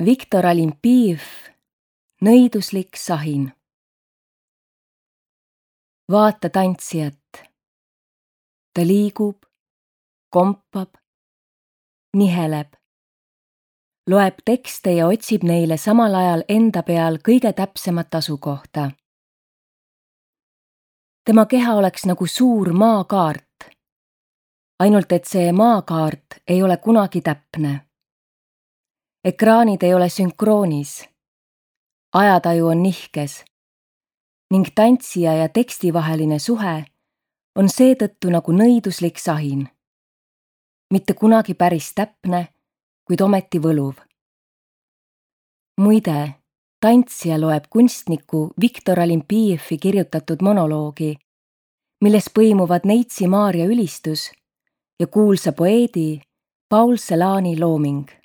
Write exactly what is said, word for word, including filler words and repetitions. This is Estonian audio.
Viktor Olimpijev, nõiduslik sahin. Vaata tantsijat. Ta liigub, kompab, niheleb, loeb tekste ja otsib neile samal ajal enda peal kõige täpsemat asukohta. Tema keha oleks nagu suur maakaart, ainult et see maakaart ei ole kunagi täpne. Ekraanid ei ole sünkroonis, ajataju on nihkes ning tantsija ja teksti vaheline suhe on seetõttu nagu nõiduslik sahin. Mitte kunagi päris täpne, kuid ometi võluv. Muide, tantsija loeb kunstniku Viktor Olimpijevi kirjutatud monoloogi, milles põimuvad Neitsi Maarja ülistus ja kuulsa poeedi Paul Celani looming.